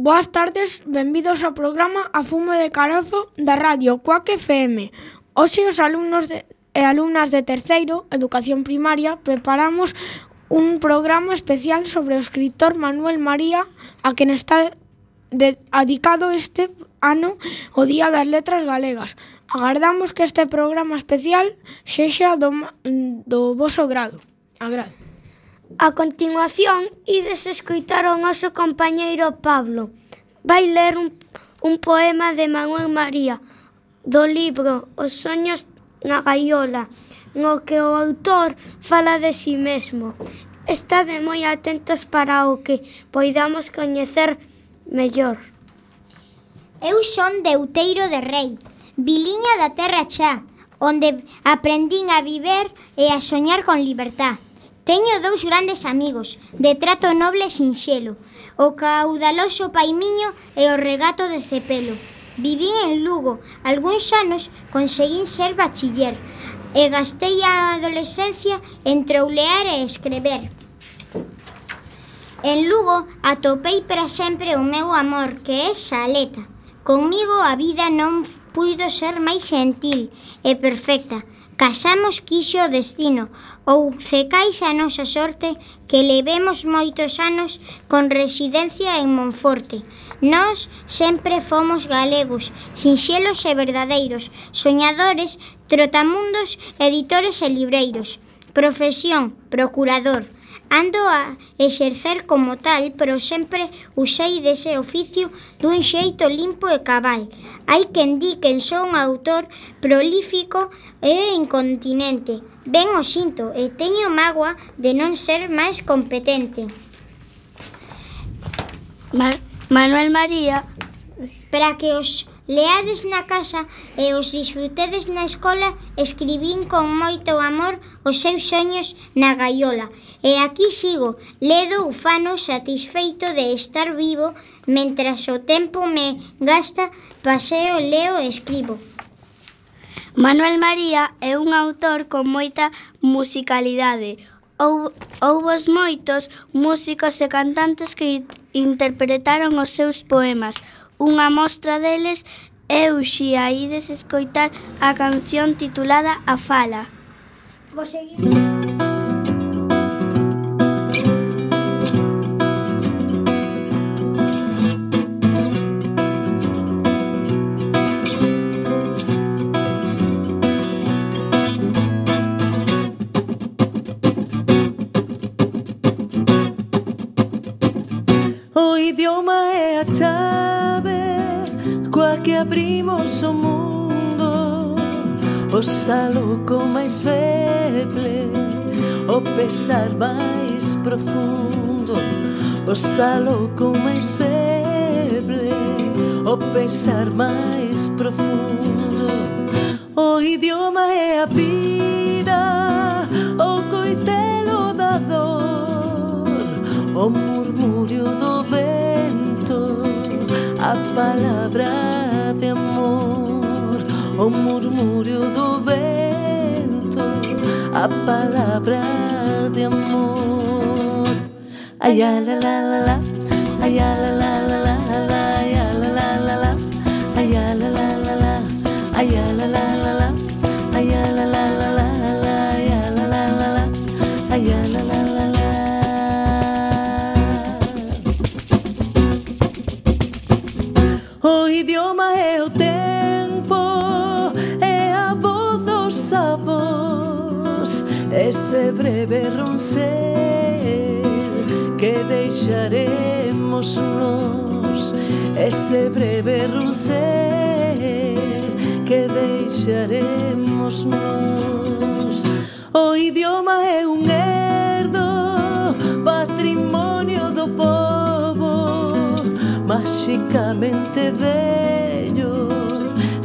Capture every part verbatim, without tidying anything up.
Boas tardes, benvidos ao programa A Fume de Carozo da Radio Cuac F M. Hoxe os alumnos de, e alumnas de terceiro, Educación Primaria, preparamos un programa especial sobre o escritor Manuel María, a quen está de, dedicado este ano o Día das Letras Galegas. Agardamos que este programa especial sexa do, do voso grado. Agrado. A continuación, ides escoitar o noso compañeiro Pablo. Vai ler un, un poema de Manuel María, do libro Os soños na gaiola, no que o autor fala de si mesmo. Estade moi atentos para o que poidamos coñecer mellor. Eu son de Outeiro de Rei, viliña da terra xa, onde aprendín a viver e a soñar con libertad. Teño dous grandes amigos, de trato noble e sinxelo, o caudaloso Paimiño e o regato de Cepelo. Vivín en Lugo, algúns anos conseguín ser bachiller, e gastei a adolescencia en troulear e escrever. En Lugo atopei para sempre o meu amor, que é Saleta. Conmigo a vida non puido ser máis gentil e perfecta. Casamos quixo o destino, ou cecais a nosa sorte, que levemos moitos anos con residencia en Monforte. Nós sempre fomos galegos, sinxelos e verdadeiros, soñadores, trotamundos, editores e libreiros. Profesión, procurador. Ando a exercer como tal, pero sempre usei dese oficio dun xeito limpo e cabal. Hai quen di que son un autor prolífico e incontinente. Ben o sinto e teño mágoa de non ser máis competente. Ma- Manuel María, Para que os leades na casa e os disfrutedes na escola, escribín con moito amor os seus soños na gaiola. E aquí sigo, ledo ufano satisfeito de estar vivo, mentras o tempo me gasta, paseo, leo e escribo. Manuel María é un autor con moita musicalidade. Houbo, houbos moitos músicos e cantantes que interpretaron os seus poemas. Unha mostra deles é o xa ides escoitar a canción titulada A Fala. Vou seguir. O idioma é a chave coa que abrimos o mundo, o saluco máis feble, o pesar máis profundo, o saluco máis feble, o pesar máis profundo. O idioma é a vida, o coitelo da dor, o murmurio do vento, a palabra de amor, o murmurio do vento, a palabra de amor. Ay, la la la la, ay, la la la la, ay, la la la la, ay, la la la la, ay, la la la la, ay, la la la la, ay, la la la la, ay, la la la la. O idioma é o tempo, é a voz dos avós, ese breve roncel que deixaremos nós, ese breve roncel que deixaremos nós. O idioma é un herdo, patrimonio do povo, mágicamente bello,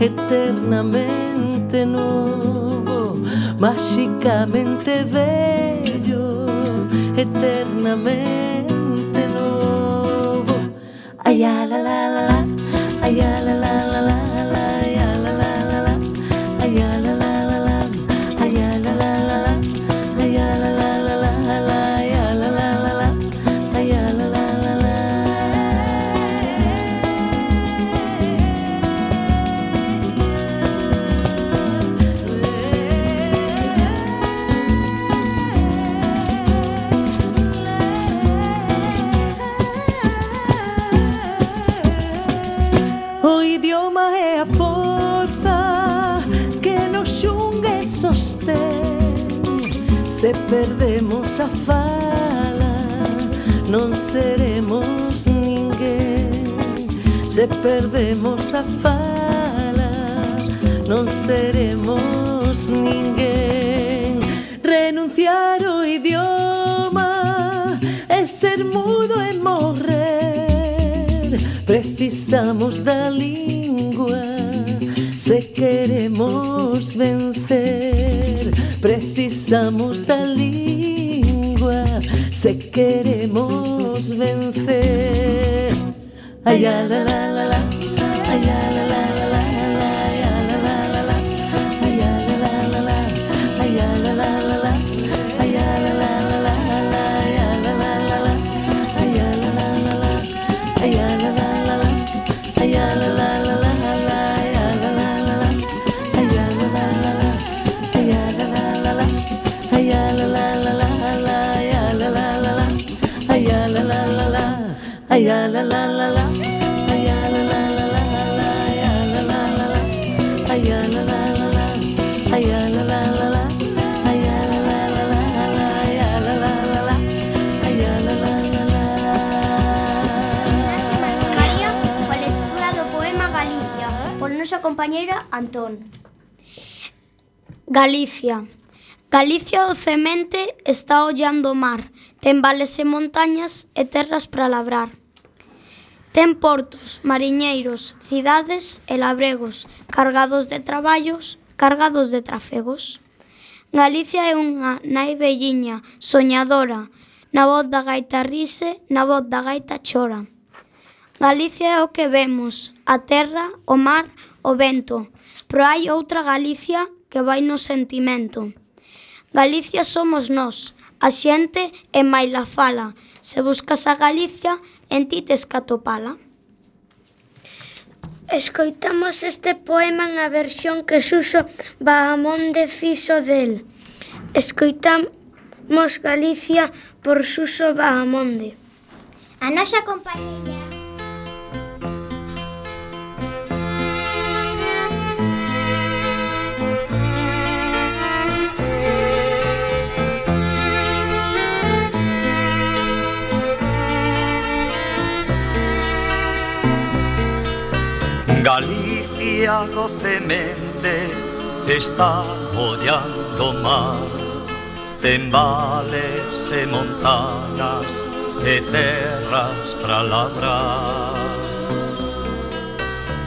eternamente novo, mágicamente bello, eternamente novo. Ay, la la la la, ay, la la la la, ay, la la la la, ay, la la la la, ay, la la la la, ay, la la la la, ay, la la la la, ay, la la la la. O idioma é a forza que nos xunga e sostén. Se perdemos a fala, non seremos ninguén. Se perdemos a fala, non seremos ninguén. Renunciar ao idioma é ser mudo e morrer. Precisamos da lingua se queremos vencer. Precisamos da lingua se queremos vencer. Ay, la la la la la, ay, la la la la la, ay, la la la la, ay, la la la la, ay, la la la la, ay, la la la la, ay, la la la la, ay, la la la la, ay, la la la la, ay, la la la la, ay, la la la la, ay, la la la la, ay, la la la la, ay, la la la la, ay, la la la la, ay, la la la la, ay, la la la la. Nosa compañeira Antón. Galicia. Galicia docemente está ollando o mar. Ten vales e montañas e terras para labrar. Ten portos, mariñeiros, cidades e labregos, cargados de traballos, cargados de trafegos. Galicia é unha nai velliña, soñadora, na voz da gaita rise, na voz da gaita chora. Galicia é o que vemos, a terra, o mar, o vento, pero hai outra Galicia que vai no sentimento. Galicia somos nós, a xente e maila fala. Se buscas a Galicia, en ti tes que atopala. Escoitamos este poema na versión que Suso Bahamonde fixo del. Escoitamos Galicia por Suso Bahamonde. A nosa compañeira Galicia docemente está ollando o mar. Ten vales e montanas e terras para labrar.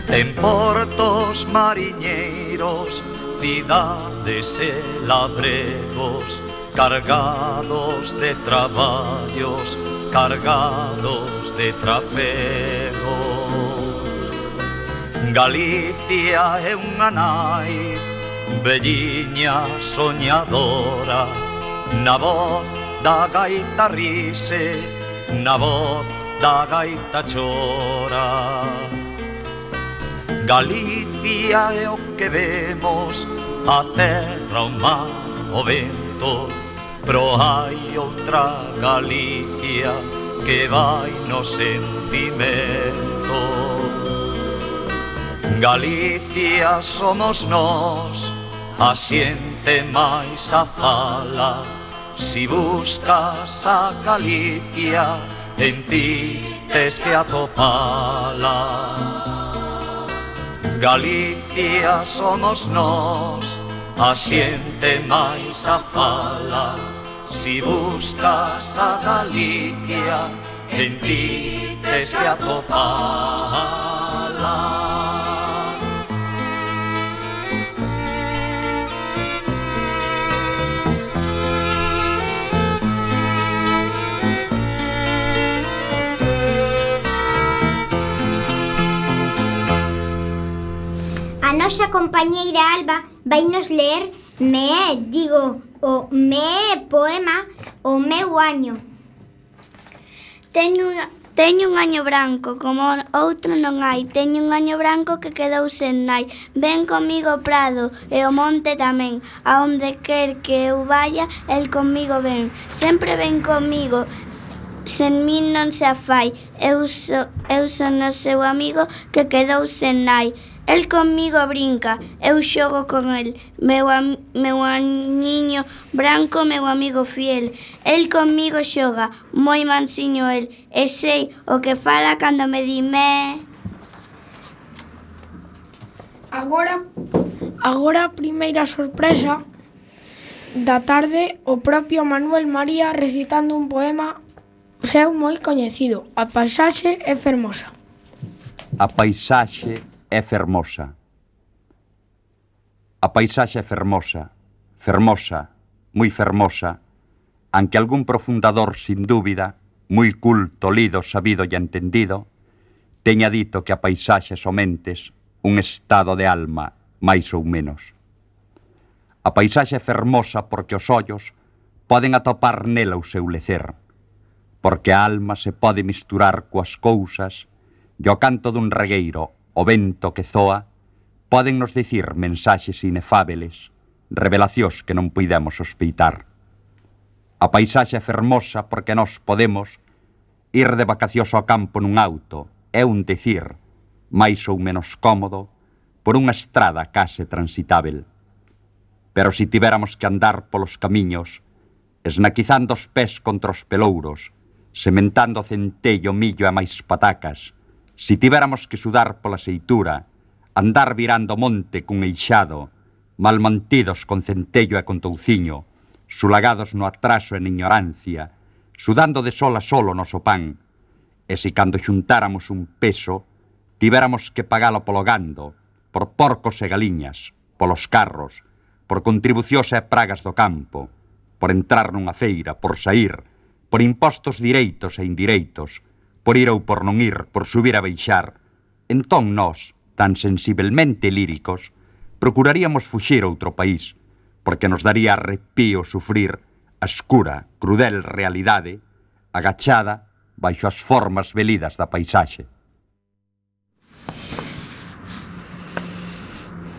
Ten portos mariñeiros, cidades e labregos, cargados de traballos, cargados de trafegos. Galicia é unha nai velliña soñadora, na voz da gaita rise, na voz da gaita chora. Galicia é o que vemos, a terra, o mar, o vento, pero hai outra Galicia que vai no sentimento. Galicia somos nós, a xente máis a fala. Si buscas a Galicia, en ti tes que atopala. Galicia somos nós, a xente máis a fala. Si buscas a Galicia, en ti tes que atopala. A nosa compañeira Alba vai nos ler me, digo, o me poema O meu año. Teño, unha, teño un año branco, como outro non hai. Teño un año branco que quedou sen nai. Ven comigo o prado e o monte tamén. A onde quer que eu vaya, el comigo ven. Sempre ven comigo sen min non se afai. Eu, so, eu son o seu amigo que quedou sen nai. El comigo brinca, eu xogo con el. Meu, am, meu aniño branco, meu amigo fiel. El comigo xoga, moi mansiño el. E sei o que fala cando me dime. Agora, agora a primeira sorpresa da tarde, o propio Manuel María recitando un poema seu moi coñecido, A paisaxe é fermosa. A paisaxe é fermosa. A paisaxe é fermosa, fermosa, moi fermosa, aunque algún profundador, sin dúbida, moi culto, lido, sabido e entendido, teña dito que a paisaxe somentes un estado de alma, máis ou menos. A paisaxe é fermosa porque os ollos poden atopar nela o seu lecer, porque a alma se pode misturar coas cousas e o canto dun regueiro, o vento que zoa, poden nos dicir mensaxes inefábeles, revelacións que non puidemos sospeitar. A paisaxe é fermosa porque nós podemos ir de vacacións ao campo nun auto, é un dicir, máis ou menos cómodo, por unha estrada case transitável. Pero si tivéramos que andar polos camiños, esnaquizando os pés contra os pelouros, sementando centello, millo e máis patacas, si tivéramos que sudar pola seitura, andar virando monte cun eixado, malmantidos con centello e con touciño, sulagados no atraso e na ignorancia, sudando de sol a sol o noso pan, e si cando xuntáramos un peso, tivéramos que pagalo polo gando, por porcos e galiñas, polos carros, por contribucións e pragas do campo, por entrar nunha feira, por saír, por impostos direitos e indireitos, por ir ou por non ir, por subir a baixar, entón nós, tan sensibelmente líricos, procuraríamos fuxir a outro país, porque nos daría arrepío sufrir a escura, crudel realidade, agachada baixo as formas velidas da paisaxe.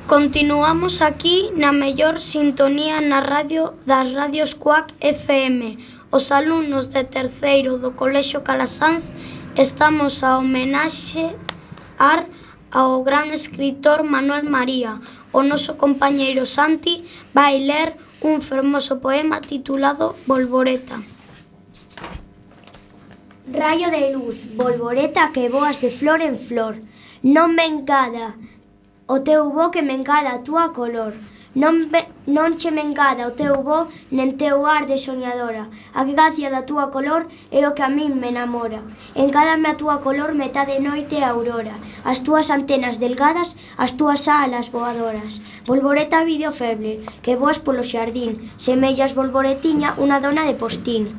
Continuamos aquí na mellor sintonía na radio das radios Cuac F M. Os alumnos de terceiro do Colexio Calasanz estamos a homenaxear ao gran escritor Manuel María. O noso compañeiro Santi vai ler un fermoso poema titulado Bolboreta. Raio de luz, bolboreta que voas de flor en flor, non me engada o teu bo que me engada a túa color. Non, be, non che me engada o teu bo nen teu ar de soñadora. A gracia da túa color é o que a min me enamora. Engádame a túa color metade noite e aurora, as túas antenas delgadas, as túas alas voadoras. Bolboreta vídeo feble, que voas polo xardín, semellas bolboretiña unha dona de postín.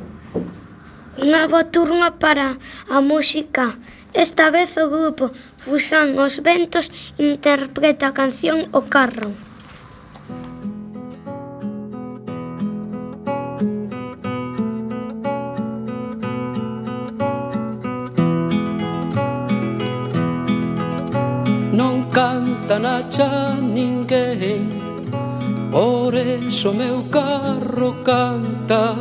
Unha boa turma para a música. Esta vez o grupo Fusán Os Ventos interpreta a canción O Carro. Non canta na cha ninguén, por eso meu carro canta,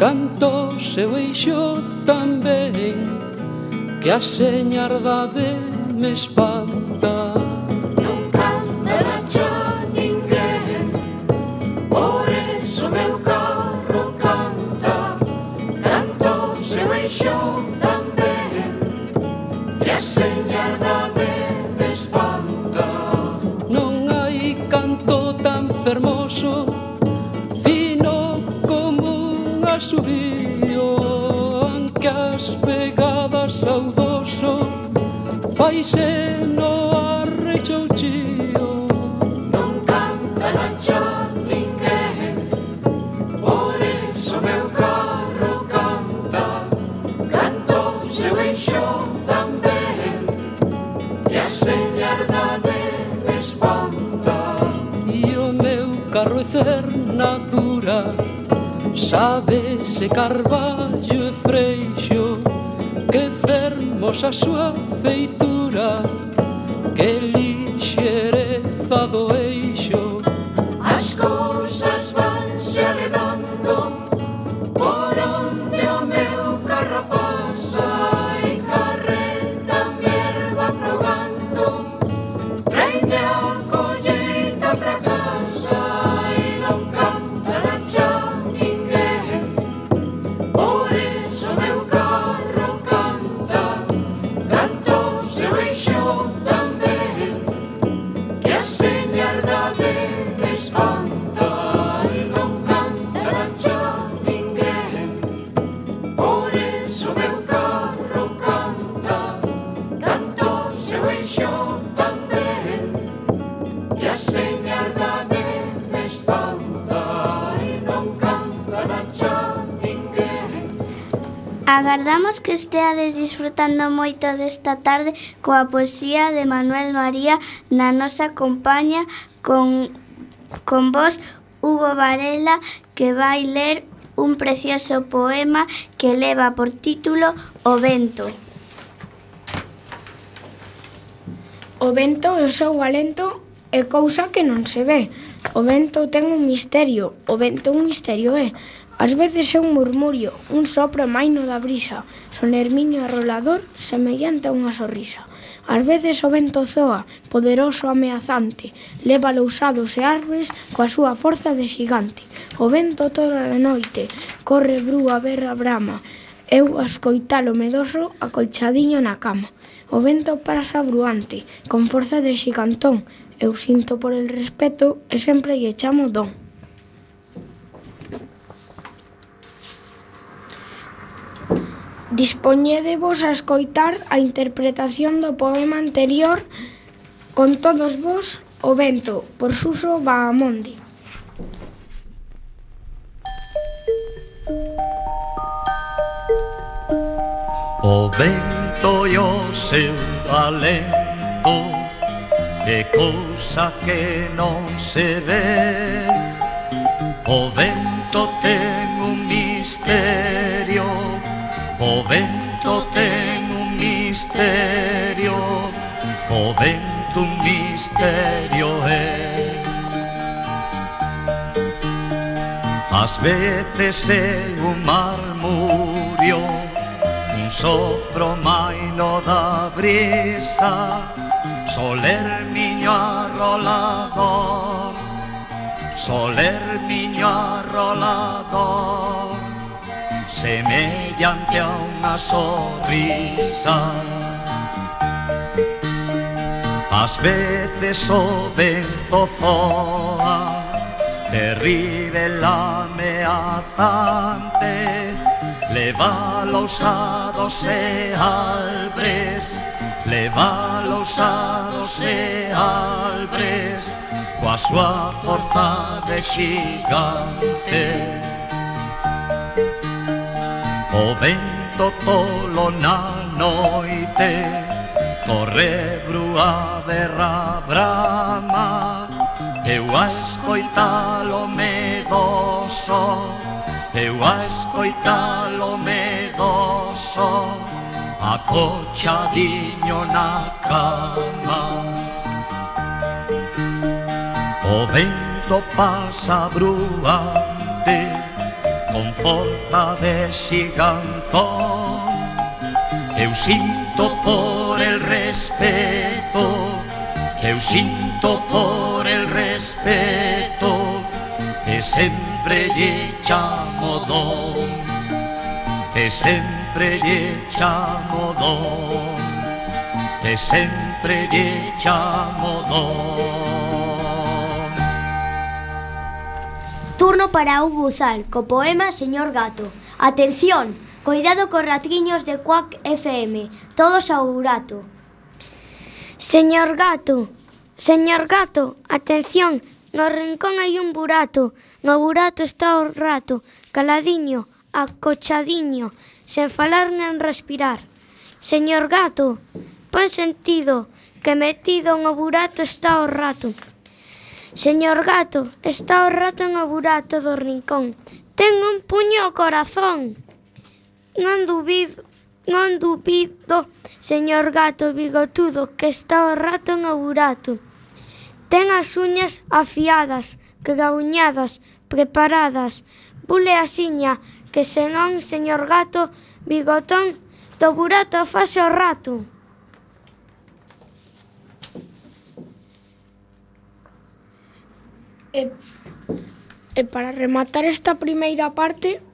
canto seu eixo tamén, que a señardade me espanta. Non canta na cha ninguén, por eso meu carro canta, canto seu eixo tamén, que a señardade me espanta. Non hai canto tan fermoso, fino como un asubío, aunque as pegadas saudoso faise no arrechouchío. Non canta na cha ninguén, por eso meu carro canta, canto seu eixo tamén, que a señardade me espanta. E o meu carro é cernadura, sabe se carballo e freixo, que fermosa súa feitura, que lixereza do eixo. As cousas vanse aledando por onde o meu carro que a señardade me espanta e non canta na cha ninguén. Agardamos que esteades disfrutando moito desta tarde coa poesía de Manuel María na nosa compañía con, con vos, Hugo Varela, que vai ler un precioso poema que leva por título O vento. O vento e o seu alento é cousa que non se ve. O vento ten un misterio, o vento un misterio é. Ás veces é un murmurio, un sopro maino da brisa, sonermiño arrolador, semellante a unha sorrisa. Ás veces o vento zoa, poderoso ameazante, leva lousados e árbores coa súa forza de xigante. O vento toda a noite, corre brúa, berra, brama, eu a escoitalo medoso, acolchadiño na cama. O vento pasa bruante, con forza de xigantón, eu sinto por el respeto e sempre lle chamo don. Dispoñédevos a escoitar a interpretación do poema anterior con todos vos, O vento, por Suso Bahamonde. O vento e o seu alento é cousa que non se ve. O vento ten un misterio, o vento ten un misterio, o vento un misterio é. Ás veces é un marmurio, un sopro maino da brisa, soler miño arrolador, soler miño arrolador, semellante a unha sorrisa. Ás veces o vento zoa, terrible ameazante, leva lousados e albres, leva lousados e albres, coa súa forza de xigante. O vento tolo na noite, corre brúa, berra, brama, eu a escoitalo medoso, eu a escoitalo medoso, acochadiño na cama. O vento pasa bruante, con forza de xigantón, eu sinto por el respeto, eu sinto por el respeto, e sempre lle chamo don, e sempre lle chamo don, e sempre lle chamo don. Turno para Hugo Uzal, co poema Señor Gato. Atención, coidado cos ratriños de Quack F M, todos ao burato. Señor gato, señor gato, atención, no rincón hai un burato, no burato está o rato, caladiño, acochadiño, sen falar nen respirar. Señor gato, pon sentido, que metido no burato está o rato. Señor gato, está o rato no burato do rincón, ten un puño ao corazón. Non dubido, non dubido, señor gato bigotudo, que está o rato no burato. Ten as uñas afiadas, cagauñadas, preparadas. Bule asiña, que senón, señor gato bigotón, do burato fase o rato. E, e para rematar esta primeira parte,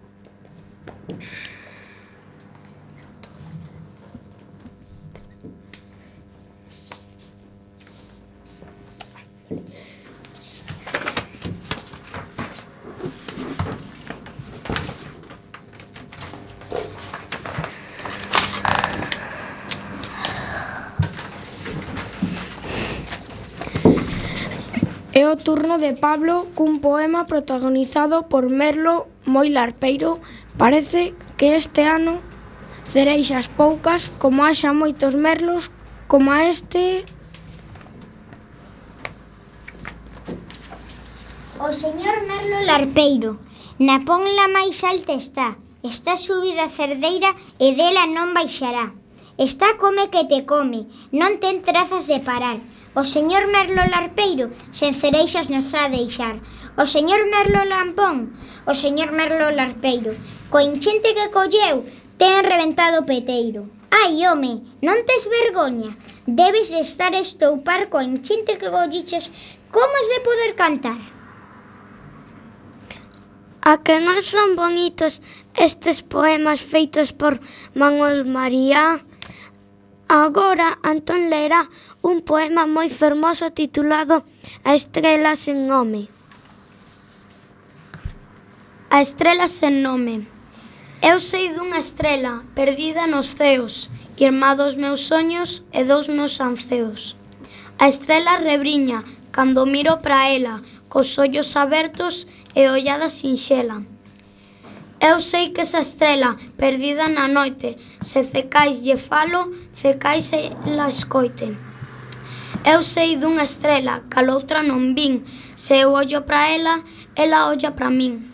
É o turno de Pablo cun poema protagonizado por Merlo moi larpeiro. Parece que este ano cereixas poucas, como haxa moitos merlos, como a este. O señor Merlo larpeiro, na ponla máis alta está, está subida a cerdeira e dela non baixará. Está come que te come, non ten trazas de parar. O señor Merlo larpeiro, sen cereixas nos ha deixar. O señor Merlo lampón, o señor Merlo larpeiro, co enchente que colleu, ten reventado o peteiro. Ai, home, non tes vergoña, debes de estar a estoupar co enchente que colliches, como has de poder cantar? A que non son bonitos estes poemas feitos por Manuel María? Agora Antón lerá un poema moi fermoso titulado A estrela sen nome. A estrela sen nome. Eu sei dunha estrela perdida nos ceos, irmá dos meus soños e dos meus anceos. A estrela rebriña cando miro pra ela, cos ollos abertos e ollada sinxela. Eu sei que esa estrela perdida na noite, se cecais lle falo, cecais e la escoite. Eu sei dunha estrela, cal outra non vin, se eu ollo pra ela, ela olla pra min.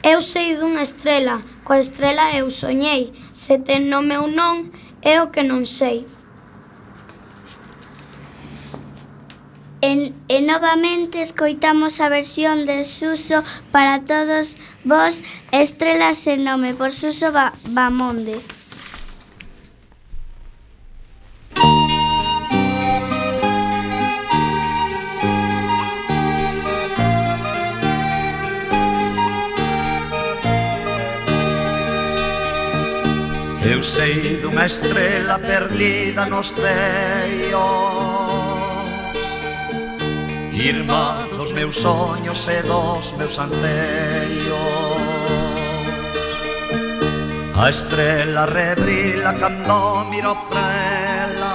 Eu sei dunha estrela, coa estrela eu soñei, se ten nome ou non, é o que non sei. E, e novamente escoitamos a versión de Suso para todos vos, Estrelas sen nome, por Suso ba Bamonde. Eu sei dunha estrela perdida nos ceos, irmá dos meus soños e dos meus anceos. A estrela rebrila cando miro pra ela,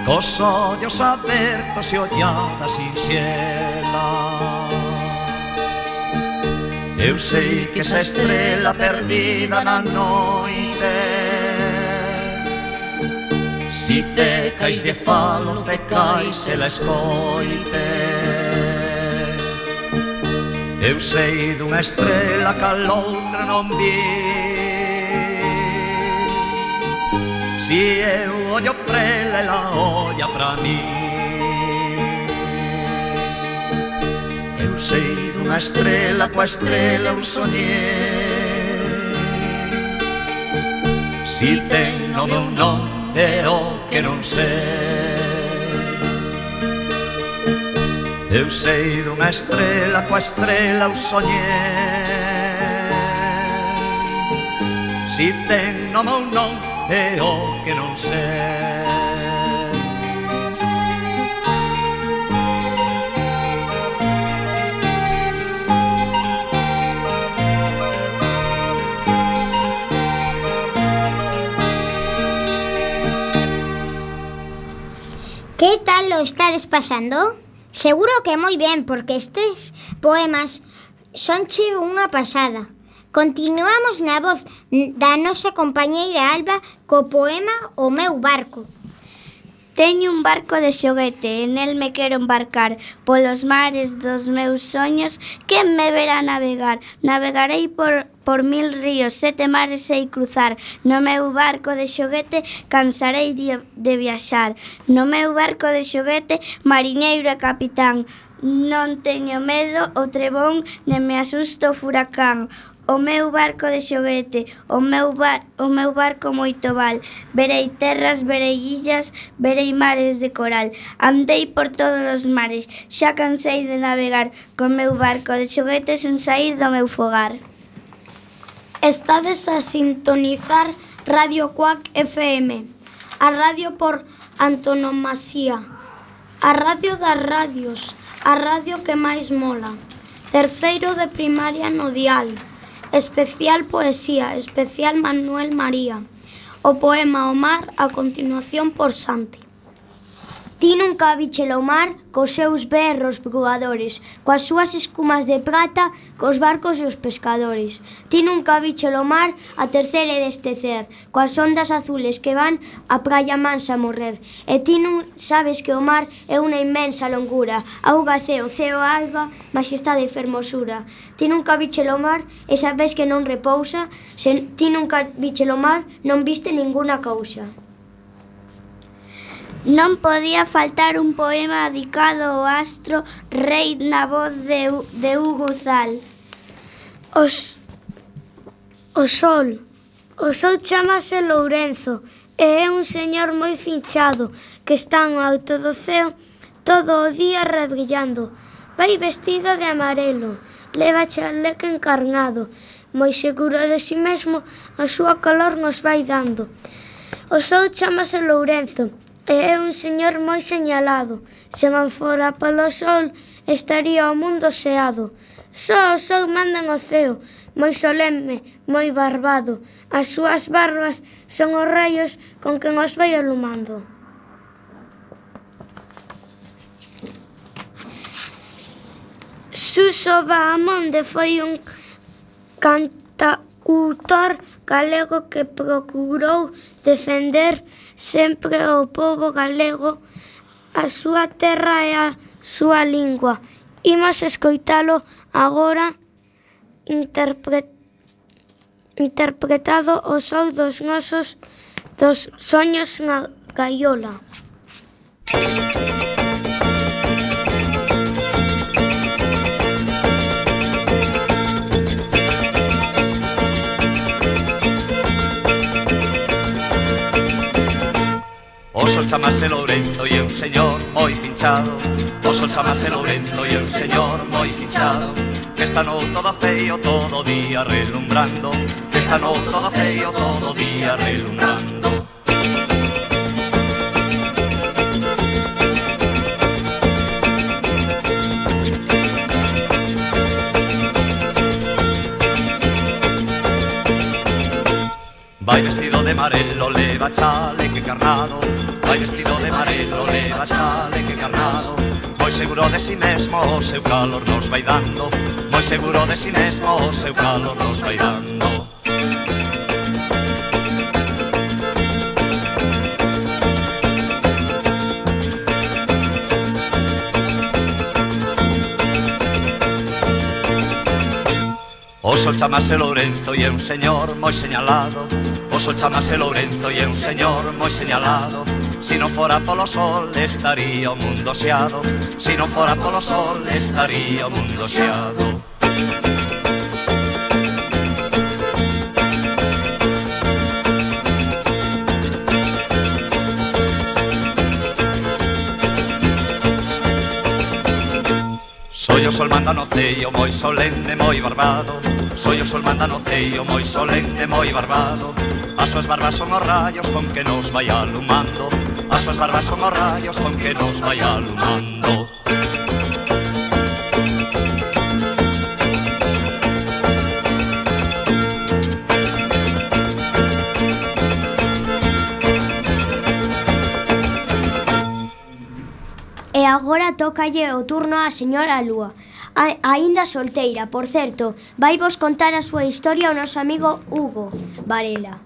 cos ollos abertos e ollada sinxela. Eu sei que esa estrela perdida na noite, si cecais de falo, cecais e la escoite. Eu sei dunha estrela cal outra non vi, si eu ollo pra ela, ela olla pra mí. Eu sei dunha estrela, coa estrela eu soñei, si ten nome ou non, é o que non sei. Eu sei dunha estrela, coa estrela eu soñei, si ten nome ou non, é o que non sei. Que tal lo estades pasando? Seguro que moi ben, porque estes poemas sonche unha pasada. Continuamos na voz da nosa compañeira Alba co poema O meu barco. Teño un barco de xoguete, en el me quero embarcar polos mares dos meus soños. Quen me verá navegar? Navegarei por, por mil ríos, sete mares sei cruzar. No meu barco de xoguete cansarei de, de viaxar. No meu barco de xoguete, mariñeiro e capitán. Non teño medo o trebón, nem me asusto o furacán. O meu barco de xoguete, o meu, bar, o meu barco moito val. Verei terras, verei illas, verei mares de coral. Andei por todos os mares, xa cansei de navegar co meu barco de xoguete sen saír do meu fogar. Estades a sintonizar Radio Cuac F M, a radio por antonomasía, a radio das radios, a radio que máis mola. Terceiro de primaria no dial. Especial poesía, especial Manuel María. O poema O mar, a continuación por Santi. Ti nunca vichelo mar cos seus berros voadores, coas súas escumas de prata, cos barcos e os pescadores. Ti nunca vichelo mar a tercer e destecer, coas ondas azules que van a praia mansa a morrer. E ti non sabes que o mar é unha inmensa longura, auga, ceo, ceo, auga, majestade e fermosura. Ti nunca vichelo mar e sabes que non repousa, se ti nunca vichelo mar non viste ninguna cousa. Non podía faltar un poema dedicado ao astro rei na voz de, de Hugo Zal. Os, o sol. O sol chamase Lourenzo e é un señor moi finchado que está no alto do ceo todo o día rebrillando. Vai vestido de amarelo, leva chaleco encarnado, moi seguro de si mesmo, a súa calor nos vai dando. O sol chamase Lourenzo e é un señor moi señalado. Se non fora polo sol, estaría o mundo xeado. Só o sol manda no ceo, moi solemne, moi barbado. As súas barbas son os raios con que nos vai alumando. Suso Bahamonde foi un cantautor galego que procurou defender sempre o pobo galego, a súa terra e a súa lingua. Imos escoitalo agora interpre... interpretado o sol dos nosos dos soños na gaiola. O sol chamase Lourenzo e é un señor moi finchado. O sol chamase Lourenzo e é un señor moi finchado, que está no todo feio todo o día relumbrando, que está no todo feio todo o día relumbrando. Vai vestido de amarelo, leva chaleque carnado. Vai vestido de amarelo, leva chaleque carnado. Moi seguro de si mesmo, o seu calor nos vai dando. Moi seguro de si mesmo, o seu calor nos vai dando. O sol chamase Lourenzo e é un señor moi señalado. O sol chamase Lourenzo e é un señor moi señalado. Si non fora polo sol estaría o mundo xeado. Si non fora polo sol estaría o mundo xeado. Soy o sol manda no ceio moi solemne, moi barbado. Soy o sol manda no ceio moi solemne, moi barbado. As súas barbas son os rayos con que nos vai alumando. As súas barbas son os rayos con que nos vai alumando. E agora tócalle o turno á señora Lúa, a, aínda solteira, por certo. Vai vos contar a súa historia o noso amigo Hugo Varela.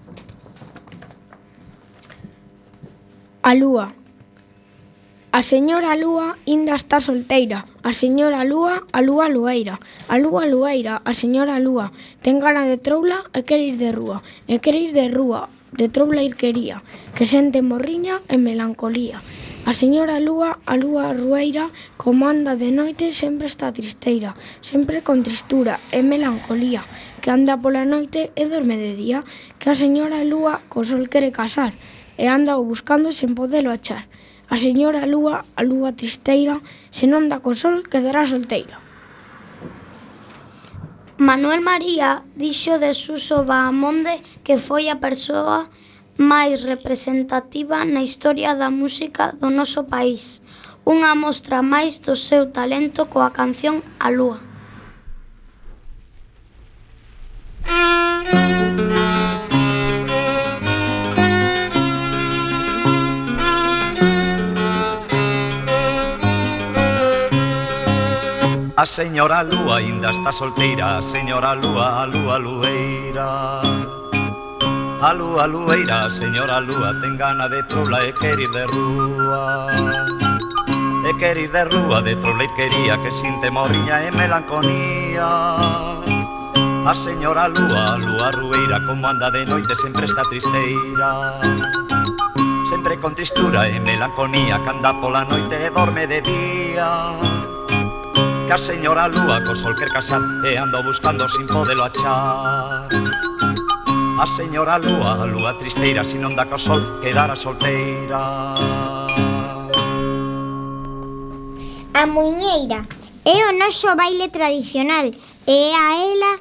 A Lúa. A señora Lúa inda está solteira. A señora Lúa, a Lúa Lueira. A Lúa Lueira, a señora Lúa. Ten gana de troula e quere ir de rúa. E quere ir de rúa, de troula ir quería, que sente morriña e melancolía. A señora Lúa, a Lúa Rueira, como anda de noite sempre está tristeira, sempre con tristura e melancolía, que anda pola noite e dorme de día, que a señora Lúa co sol quere casar e anda o buscando sen podelo achar. A señora Lúa, a Lúa tristeira, se non dá co sol quedará solteira. Manuel María dixo de Suso Bahamonde que foi a persoa máis representativa na historia da música do noso país. Unha mostra máis do seu talento coa canción A Lúa. A señora lúa ainda está solteira, a señora lúa, a lúa lueira. A lúa lueira, a señora lúa, ten gana de troula e quer ir de rúa. E quer ir de rúa, de troula ir quería, que sinte morriña e melancolía. A señora lúa, a lúa rueira, como anda de noite sempre está tristeira. Sempre con tristura e melancolía, que anda pola noite e dorme de día. Que a señora lúa co sol quer casar e ando buscando sin podelo achar. A señora lúa, a lúa tristeira, si non dá co sol quedara solteira. A muiñeira é o noso baile tradicional e a ela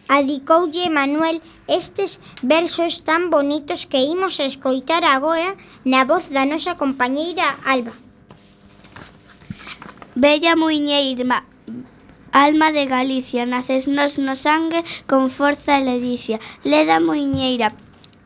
adicoulle Manuel estes versos tan bonitos que imos a escoitar agora na voz da nosa compañeira Alba. Bella muiñeira, alma de Galicia, naces nos no sangue con forza e ledicia. Leda muiñeira,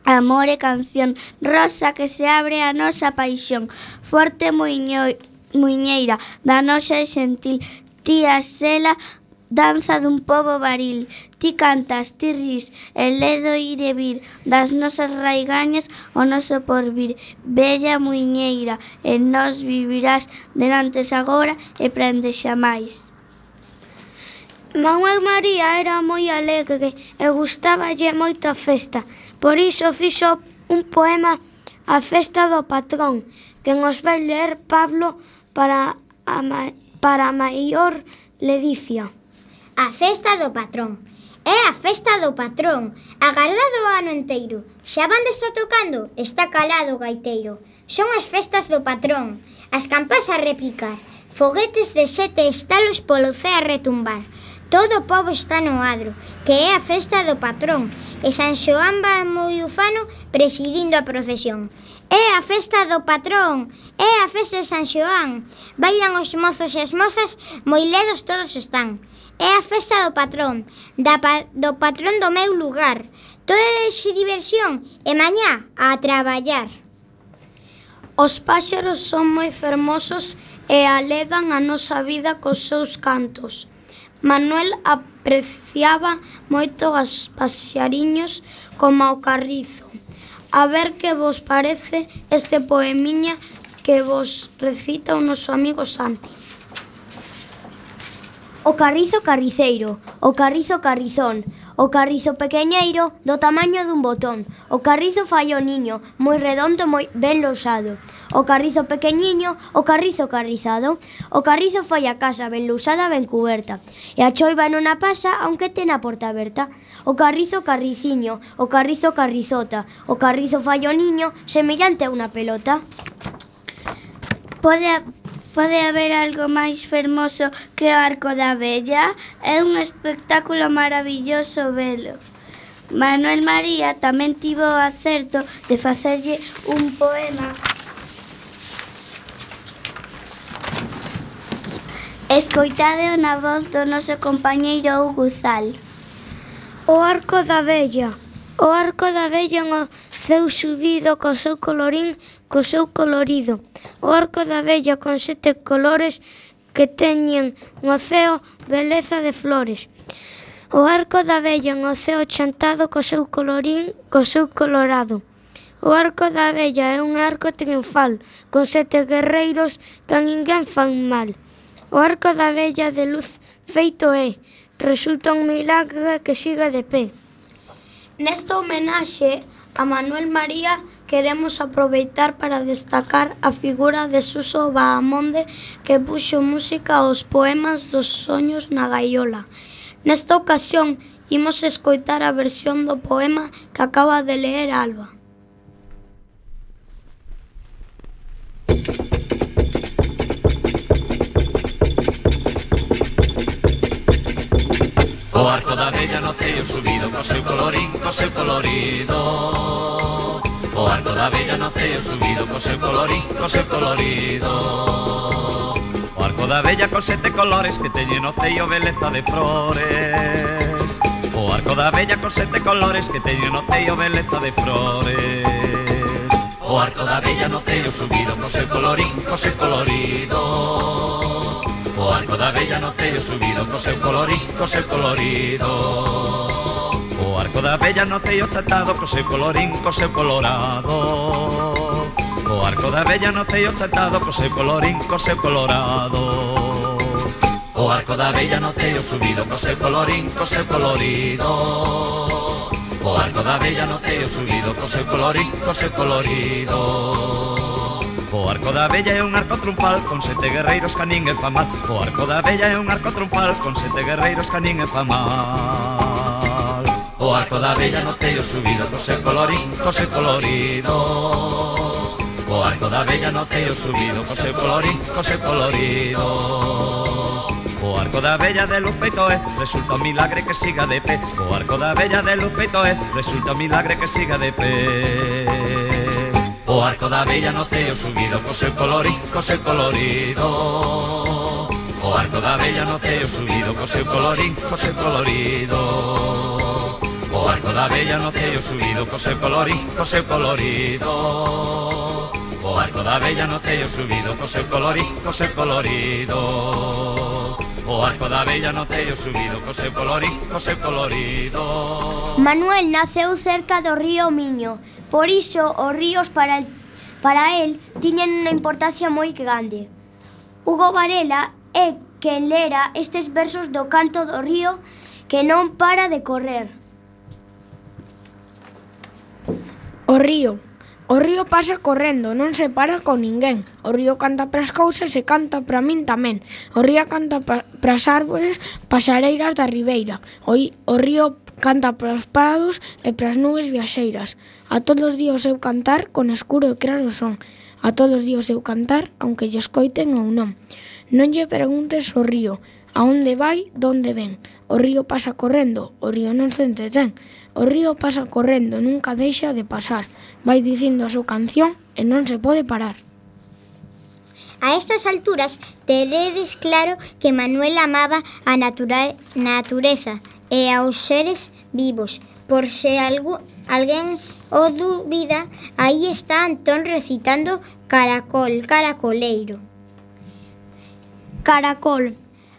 amor e canción, rosa que se abre a nosa paixón. Forte muiño, muiñeira, da nosa e xentil, ti a sela danza dun pobo varil. Ti cantas, ti ris, e ledo ir e vir das nosas raigañas o noso porvir. Bella muiñeira, e nos vivirás denantes agora e prende xamais. Manuel María era moi alegre e gustáballe moito a festa. Por iso fixo un poema a festa do patrón, que nos vai ler Pablo para a, ma para a maior ledicia. A festa do patrón. É a festa do patrón, agardado o ano enteiro. Xa van está tocando, está calado o gaiteiro. Son as festas do patrón, as campás a repicar, foguetes de sete estalos polo ceo a retumbar. Todo o pobo está no adro, que é a festa do patrón, e San Xoán va moi ufano presidindo a procesión. É a festa do patrón, é a festa de San Xoán. Bailan os mozos e as mozas, moi ledos todos están. É a festa do patrón, da pa do patrón do meu lugar. Todo é de diversión e mañá a traballar. Os páxaros son moi fermosos e aledan a nosa vida cos seus cantos. Manuel apreciaba moito os paxariños como o carrizo. A ver que vos parece este poemiña que vos recita o noso amigo Santi. O carrizo carriceiro, o carrizo carrizón, o carrizo pequeñeiro do tamaño dun botón. O carrizo fai o niño, moi redondo, moi ben lousado. O carrizo pequeniño, o carrizo carrizado. O carrizo fai a casa ben lousada, ben cuberta. E a choiva non a pasa, aunque ten a porta aberta. O carrizo carriciño, o carrizo carrizota. O carrizo fai o niño, semellante a unha pelota. Pode Pode haber algo máis fermoso que o Arco da Vella? É un espectáculo maravilloso velo. Manuel María tamén tivo o acerto de facerlle un poema escoitado na voz do noso compañeiro Hugo Zal. O Arco da Vella. O Arco da Vella no ceu subido co seu colorín, co seu colorido. O Arco da Vella con sete colores que teñen no ceo beleza de flores. O Arco da Vella no ceo chantado co seu colorín, co seu colorado. O Arco da Vella é un arco triunfal, con sete guerreiros que a ninguén fan mal. O Arco da Vella de luz feito é, resulta un milagre que siga de pé. Nesta homenaxe a Manuel María queremos aproveitar para destacar a figura de Suso Bahamonde, que puxo música aos poemas dos soños na gaiola. Nesta ocasión imos escoitar a versión do poema que acaba de ler Alba. O Arco da Vella no ceo subido, co seu colorín, co seu colorido. O Arco da Vella no ceo subido, co seu colorín, co seu colorido. O Arco da Vella con sete colores que teñen no ceo beleza de flores. O Arco da Vella con sete colores que teñen no ceo beleza de flores. O Arco da Vella no ceo subido, co seu colorín, co seu colorido. O O arco da vella no cello subido co seu colorín, co seu colorido. O arco da vella no cello chatado co seu colorín, co seu colorado. O arco da vella no cello chatado co seu colorín, co seu colorado. O arco da vella no cello subido co seu colorín, co seu colorido. O arco da vella no cello subido co seu colorín, co seu colorido. O arco da vella é un arco triunfal con sete guerreiros que a ninguén fa mal. O arco da vella é un arco triunfal con sete guerreiros que a ninguén fa mal. O arco da vella no cello subido co seu colorín, co seu colorido. O arco da vella no cello subido co seu colorín, co seu colorido. O arco da vella de luz feito é, resulta un milagre que siga de pé. O arco da vella de luz feito é, resulta un milagre que siga de pé. O arco da vella no cello subido co seu colorín, co seu colorido. O arco da vella no cello subido co seu colorín, co seu colorido. O arco da vella no cello subido co seu colorín, co seu colorido. O arco da vella no cello subido co seu colorín, co seu colorido. O arco da vella no cello subido co seu colorín, co seu colorido. Manuel naceu cerca do río Miño, por iso os ríos para, para el tiñen unha importancia moi grande. Hugo Varela é quen lera estes versos do canto do río que non para de correr. O río. O río pasa correndo, non se para con ninguén. O río canta pras cousas e canta pra min tamén. O río canta pras árbores pasareiras da ribeira. O, o río canta pros prados e pras nubes viaxeiras. A todos di o seu cantar con escuro e claro son. A todos di o seu cantar, aunque lle escoiten ou non. Non lle preguntes ao río, a onde vai, donde ven. O río pasa correndo, o río non se entretén. O río pasa correndo, nunca deixa de pasar. Vai dicindo a súa canción e non se pode parar. A estas alturas teredes claro que Manuel amaba a natura natureza e aos seres vivos. Por se algo, alguén o dúbida, aí está Antón recitando Caracol, caracoleiro. Caracol,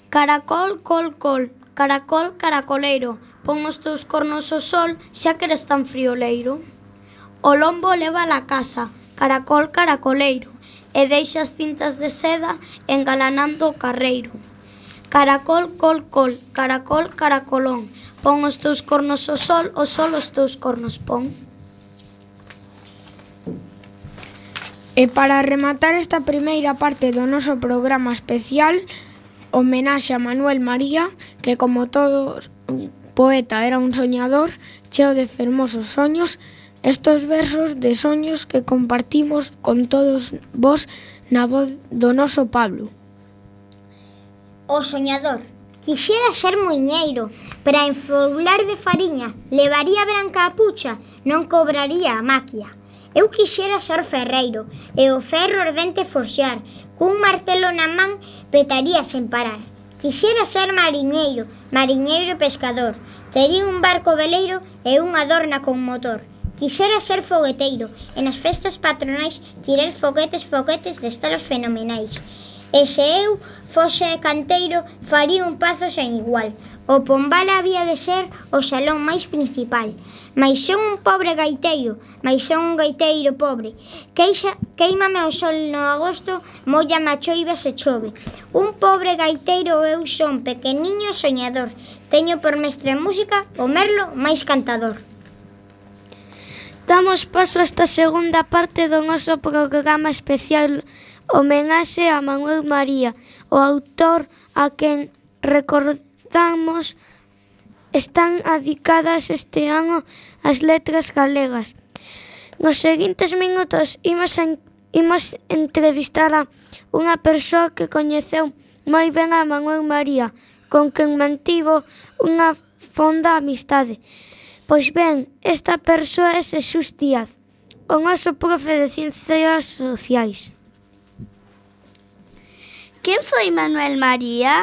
caracol, col, col, caracol, caracoleiro, pon os teus cornos ao sol, xa que eres tan frioleiro. O lombo leva a casa, caracol, caracoleiro, e deixa as cintas de seda engalanando o carreiro. Caracol, col, col, caracol, caracolón, pon os teus cornos ao sol, o sol os teus cornos pon. E para rematar esta primeira parte do noso programa especial, homenaxe a Manuel María, que como todo poeta era un soñador, cheo de fermosos soños, estos versos de soños que compartimos con todos vos na voz do noso Pablo. O soñador. Quixera ser muiñeiro, para enfoular de fariña, levaría branca a pucha, non cobraría a maquia. Eu quixera ser ferreiro, e o ferro ardente forxar, cun martelo na man petaría sen parar. Quixera ser mariñeiro, mariñeiro e pescador, tería un barco veleiro e unha dorna con motor. Quixera ser fogueteiro, e nas festas patronais tirar foguetes, foguetes de estalos fenomenais. E se eu fose canteiro, faría un pazo sen igual. O Pombal había de ser o salón máis principal. Mais son un pobre gaiteiro, mais son un gaiteiro pobre. Queixa, queimame o sol no agosto, mollame a choiva se chove. Un pobre gaiteiro eu son, pequeniño soñador. Teño por mestre música o merlo máis cantador. Damos paso a esta segunda parte do noso programa especial homenaxe a Manuel María, o autor a quen recordamos están adicadas este ano as letras galegas. Nos seguintes minutos imos, en, imos entrevistar a unha persoa que coñeceu moi ben a Manuel María, con quen mantivo unha fonda amistade. Pois ben, esta persoa é Xesús Díaz, o noso profe de Ciencias Sociais. Quen foi Manuel María?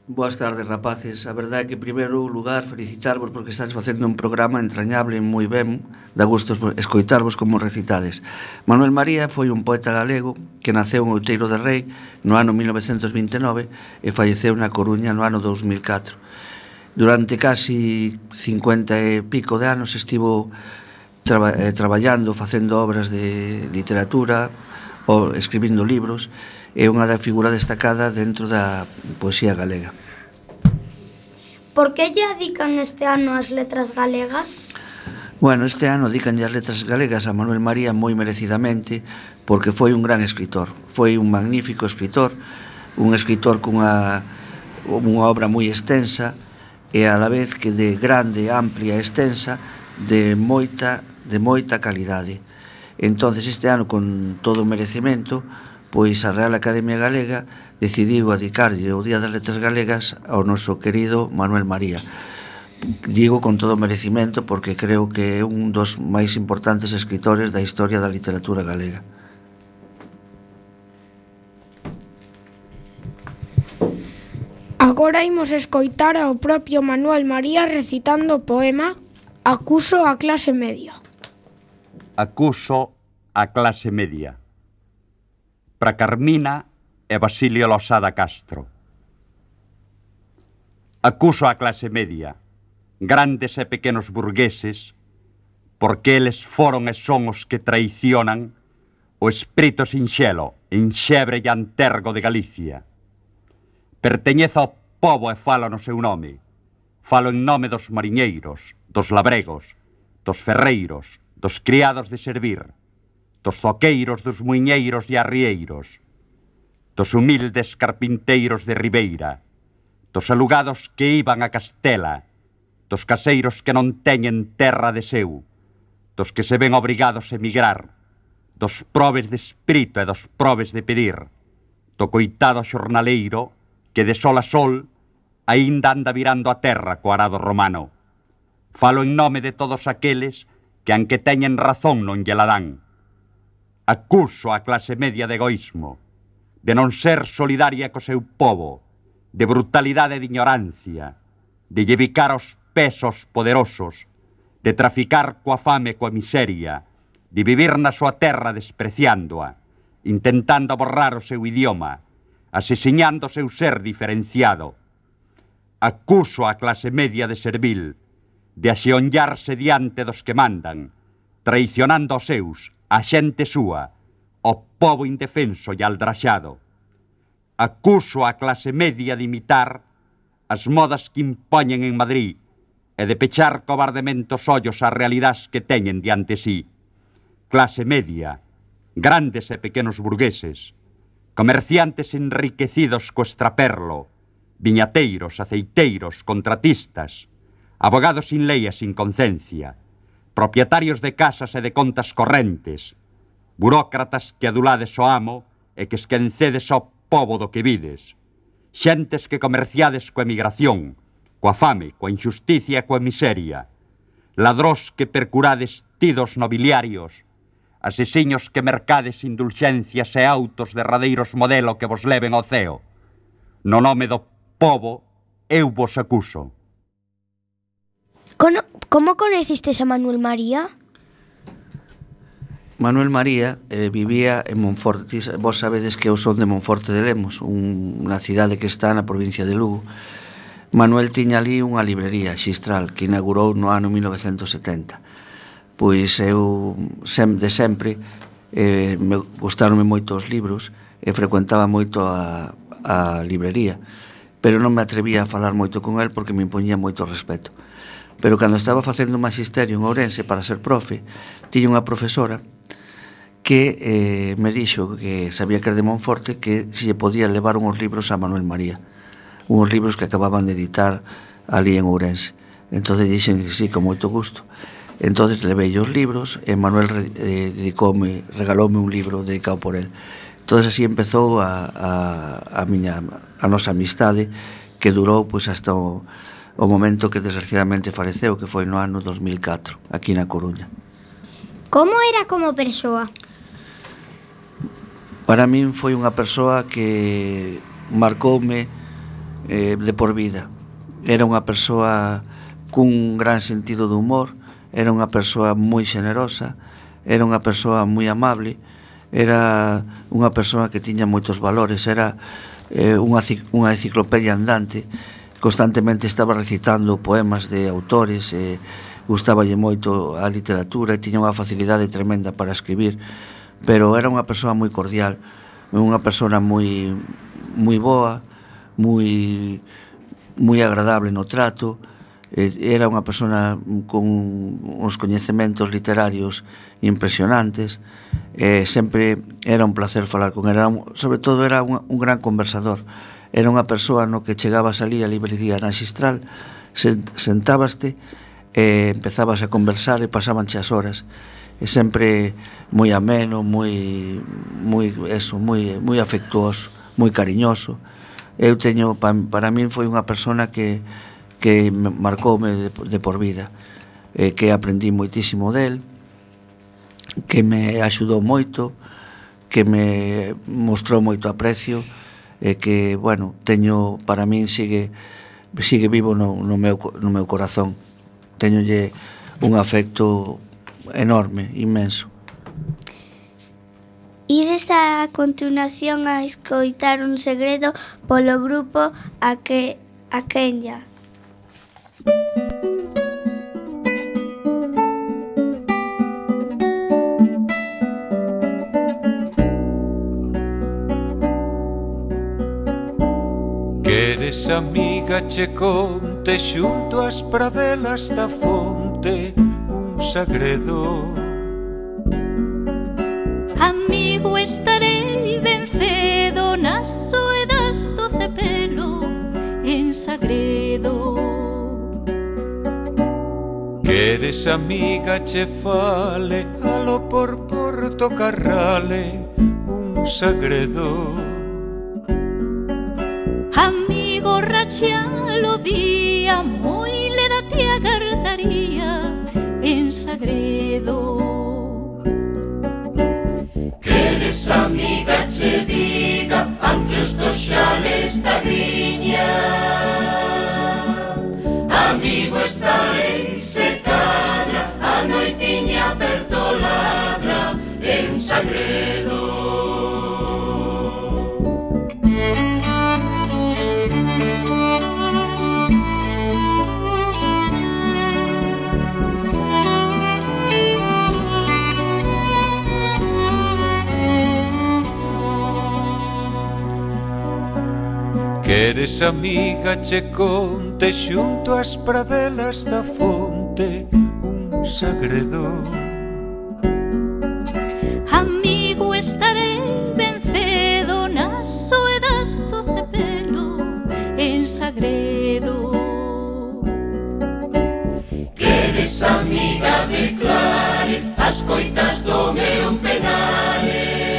Boas tardes, rapaces. A verdade é que, en primeiro lugar, felicitarvos porque estáis facendo un programa entrañable moi ben, da gusto escoitarvos como recitades. Manuel María foi un poeta galego que naceu en Outeiro de Rei no ano mil novecentos vinte e nove e falleceu na Coruña no ano dous mil catro. Durante casi cincuenta e pico de anos estivo traba, eh, traballando, facendo obras de literatura, ou escribindo libros, é unha da figura destacada dentro da poesía galega. Por que lle dedican este ano as letras galegas? Bueno, este ano dedicanlle as letras galegas a Manuel María moi merecidamente, porque foi un gran escritor, foi un magnífico escritor, un escritor cunha unha obra moi extensa e a la vez que de grande, amplia e extensa, de moita, de moita calidade. Entonces este ano, con todo o merecemento, pois a Real Academia Galega decidiu dedicarlle o Día das Letras Galegas ao noso querido Manuel María. Digo con todo o merecimento porque creo que é un dos máis importantes escritores da historia da literatura galega. Agora imos escoitar ao propio Manuel María recitando o poema Acuso a clase media. Acuso a clase media. Para Carmina e Basilio Losada Castro. Acuso a clase media, grandes e pequenos burgueses, porque eles foron e son os que traicionan o espírito sinxelo, enxebre e antergo de Galicia. Perteñezo ao pobo e falo no seu nome. Falo en nome dos mariñeiros, dos labregos, dos ferreiros, dos criados de servir, dos zoqueiros, dos muiñeiros e arrieiros, dos humildes carpinteiros de Ribeira, dos alugados que iban a Castela, dos caseiros que non teñen terra de seu, dos que se ven obrigados a emigrar, dos probes de espírito e dos probes de pedir, do coitado xornaleiro que de sol a sol aínda anda virando a terra co arado romano. Falo en nome de todos aqueles que, aunque teñen razón, non lle la dan. Acuso a clase media de egoísmo, de non ser solidaria co seu povo, de brutalidade e de ignorancia, de llevicar os pesos poderosos, de traficar coa fame e coa miseria, de vivir na súa terra despreciándoa, intentando borrar o seu idioma, asesiñando o seu ser diferenciado. Acuso a clase media de servil, de axeonllarse diante dos que mandan, traicionando os seus, a xente súa, o pobo indefenso e aldraxado. Acuso a clase media de imitar as modas que impoñen en Madrid e de pechar cobardemente os ollos ás realidades que teñen diante sí. Clase media, grandes e pequenos burgueses, comerciantes enriquecidos co extraperlo, viñateiros, aceiteiros, contratistas, abogados sin lei e sin concencia, propietarios de casas e de contas correntes, burócratas que adulades o amo e que esquencedes ao pobo do que vides, xentes que comerciades coa emigración, coa fame, coa injusticia e coa miseria, ladrós que percurades tidos nobiliarios, asesiños que mercades indulxencias e autos derradeiros modelo que vos leven ao ceo. No nome do pobo, eu vos acuso. Cono, como coñecistes a Manuel María? Manuel María eh, vivía en Monforte. Vos sabedes que eu son de Monforte de Lemos, un, unha cidade que está na provincia de Lugo. Manuel tiña ali unha librería, Xistral, que inaugurou no ano mil novecentos setenta. Pois eu, sem, de sempre, eh, me gustaronme moito os libros e frecuentaba moito a, a librería, pero non me atrevía a falar moito con el porque me impoñía moito respeto. Pero cando estaba facendo un magisterio en Ourense para ser profe, tiña unha profesora que eh, me dixo que sabía que era de Monforte, que se lle podía levar unhos libros a Manuel María, unhos libros que acababan de editar ali en Ourense. Entón dixen que sí, con moito gusto. Entón levei os libros e Manuel eh, dedicoume, regaloume un libro dedicado por el. Entón así empezou a, a, a miña a nosa amistade, que durou pois hasta o, o momento que desgraciadamente faleceu, que foi no ano dos mil catro, aquí na Coruña. Como era como persoa? Para min foi unha persoa que marcoume eh, de por vida. Era unha persoa cun gran sentido do humor, era unha persoa moi xenerosa, era unha persoa moi amable, era unha persoa que tiña moitos valores, era eh, unha, unha enciclopedia andante, constantemente estaba recitando poemas de autores, eh, gustaballe moito a literatura e tiña unha facilidade tremenda para escribir, pero era unha persoa moi cordial, unha persoa moi moi boa, moi moi agradable no trato, era unha persoa con uns coñecementos literarios impresionantes, e sempre era un placer falar con ela, sobre todo era un, un gran conversador, era unha persoa no que chegabas ali a librería na Xistral, sentábaste e empezabas a conversar e pasabanche as horas, e sempre moi ameno, moi moi eso, moi moi afectuoso, moi cariñoso. Eu teño, para min foi unha persona que que me marcoume de, de por vida, eh, que aprendí moitísimo del, que me axudou moito, que me mostrou moito aprecio, e que, bueno, teño, para min sigue sigue vivo no, no, meu, no meu corazón. Teñolle un afecto enorme, inmenso. Ides a continuación a escoitar un segredo polo grupo a que a Kenya. Queres, amiga, che conte xunto ás pradelas da fonte un segredo. Amigo, estarei ben cedo nas soedas do cepelo en sagredo. Queres, amiga, che fale alo por Porto Carrale un segredo. Amigo, rachialo día moi le date a gardaría en sagredo. Queres, amiga, che diga ante os dos xales da griña. Amigo, estarei se cadra a noitiña perdoladra en sagredo. Queres, amiga, che conte xunto ás pradelas da fonte un segredo. Amigo, estarei ben cedo nas soedas do cepelo en sagredo. Queres, amiga, declare as coitas do meu penare.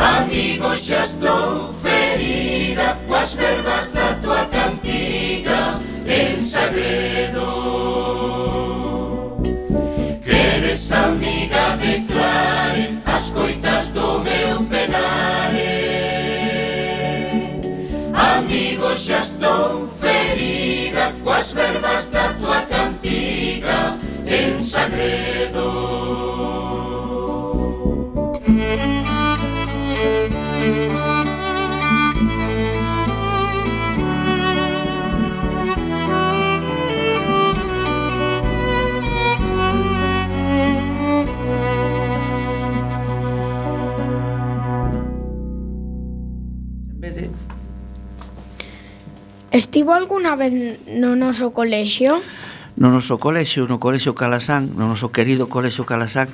Amigo, xa estou ferida coas verbas da tua cantiga en sagredo. Queres, amiga, declare as coitas do meu penare. Amigo, xa estou ferida coas verbas da tua cantiga en sagredo. Estivo alguna vez no noso colexio? No noso colexio, no colexio Calasán, no noso querido colexio Calasán,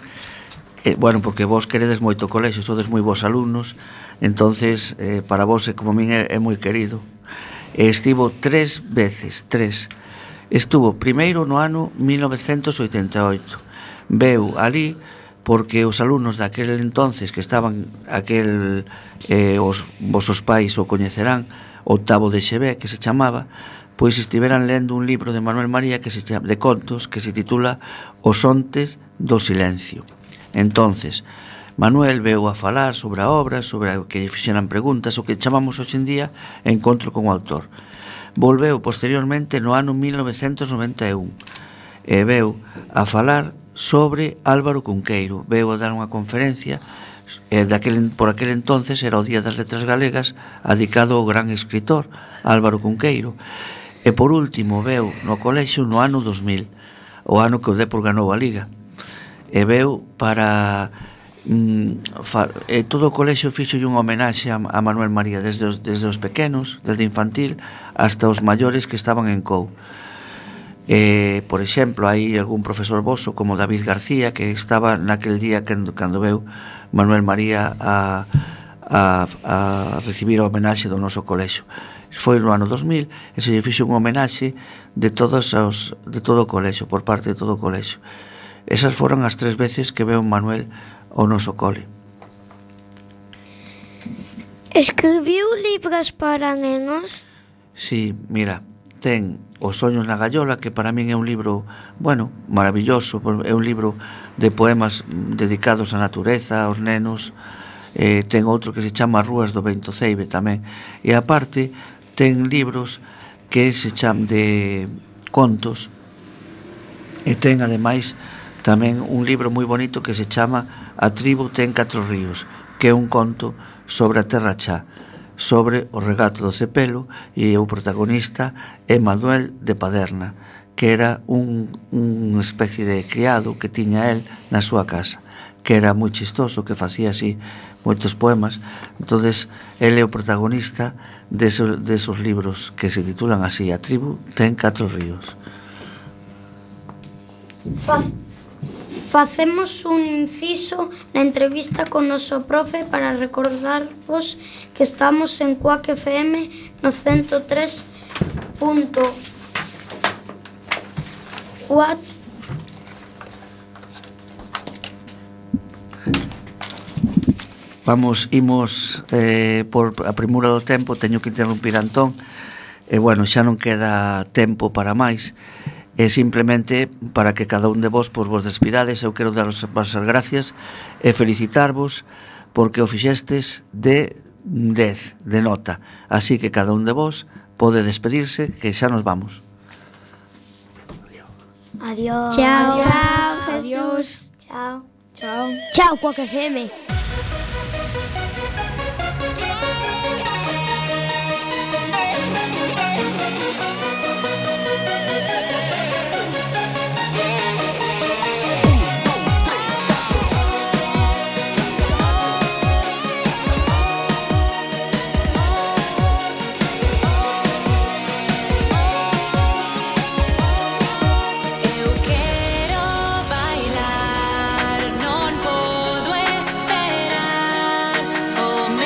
eh, bueno, porque vos queredes moito colexio, sodes moi vos alumnos, entonces eh, para vos, como a min, é, é moi querido. E estivo tres veces, tres. Estuvo primeiro no ano mil novecentos oitenta e oito. Veu ali porque os alumnos daquel entonces que estaban, aquel, eh, os vosos pais o coñecerán, Octavo de Xevé, que se chamaba, pois estiveran lendo un libro de Manuel María que se chama, de contos, que se titula Os ontes do silencio. Entonces, Manuel veu a falar sobre a obra, sobre o que fixeran preguntas, o que chamamos hoxe en día encontro con o autor. Volveu posteriormente no ano mil novecentos noventa e un e veu a falar sobre Álvaro Cunqueiro. Veu a dar unha conferencia e daquel, por aquel entonces era o Día das Letras Galegas, dedicado ao gran escritor Álvaro Cunqueiro. E por último veu no colexio no ano dos mil, o ano que o Depor ganou a Liga, e veu para mm, fa, e todo o colexio fixo un homenaxe a, a Manuel María, desde os, desde os pequenos, desde infantil hasta os maiores que estaban en C O U. E, por exemplo, hai algún profesor voso como David García, que estaba naquel día cando, cando veu Manuel María a, a, a recibir a homenaxe do noso colexio. Foi no ano dos mil e se lle fixo un homenaxe de todos os, de todo o colexio, por parte de todo o colexio. Esas foron as tres veces que veu Manuel ao noso cole. Escribiu libros para nenos? Sí, mira, ten Os soños na gallola, que para min é un libro, bueno, maravilloso, é un libro de poemas dedicados á natureza, aos nenos. Eh, ten outro que se chama Rúas do Vento Ceibe tamén, e aparte ten libros que se chaman de contos, e ten ademais tamén un libro moi bonito que se chama A tribu ten catro ríos, que é un conto sobre a Terra Chá, sobre o regato do cepelo, e o protagonista é Manuel de Paderna, que era un, un especie de criado que tiña el na súa casa, que era moi chistoso, que facía así moitos poemas. Entonces ele é o protagonista desos, desos libros que se titulan así: A tribu ten catro ríos. Faz, facemos un inciso na entrevista con noso profe para recordarvos que estamos en Cuac F M no ciento tres punto cuatro. Vamos, imos eh, por a premura do tempo, teño que interrumpir a Antón, e bueno, xa non queda tempo para máis, e simplemente para que cada un de vos pois, vos despidades. Eu quero daros as vosas gracias e felicitarvos porque o fixestes de dez, de nota, así que cada un de vos pode despedirse, que xa nos vamos. Adiós. Chao. Chao, Jesús. Chao. Chao. Chao, Cuac F M.